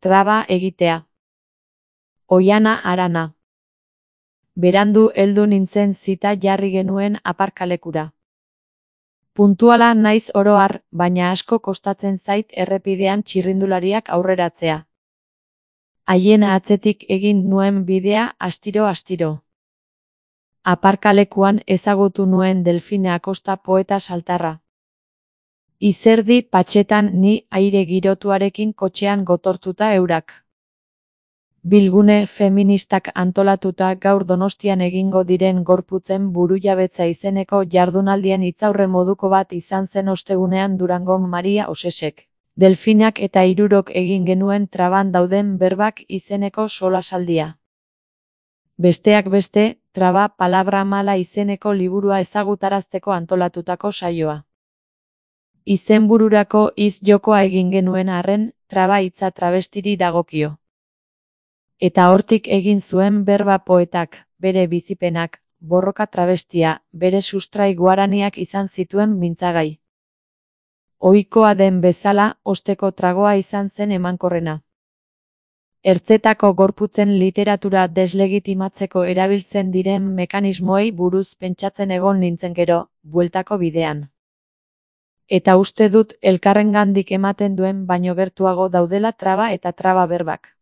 traba egitea. Oiana Arana. Berandu heldu nintzen zita jarri genuen aparkalekura. Puntuala naiz oro har, baina asko kostatzen zait errepidean txirrindulariak aurreratzea. Haien atzetik egin nuen bidea astiro-astiro. Aparkalekuan ezagutu nuen Delfine Acosta poeta saltarra. Izerdi patxetan ni aire girotuarekin kotxean gotortuta eurak. Bilgune feministak antolatuta gaur Donostian egingo diren gorputzen burujabetza izeneko jardunaldien hitzaurre moduko bat izan zen ostegunean Durangon Maria Osesek, Delfinak eta hirurok egin genuen traban dauden berbak izeneko solasaldia. Besteak beste, Traba palabra mala izeneko liburua ezagutarazteko antolatutako saioa. Izenbururako hitz-jokoa egin genuen arren, traba hitza travestiri dagokio. Eta hortik egin zuen berba poetak, bere bizipenak, borroka travestia, bere sustrai guaraniak izan zituen mintzagai. Ohikoa den bezala, osteko tragoa izan zen emankorrena. Ertzetako gorputzen literatura deslegitimatzeko erabiltzen diren mekanismoei buruz pentsatzen egon nintzen gero, bueltako bidean. Eta uste dut elkarrengandik ematen duen baino gertuago daudela traba eta traba berbak.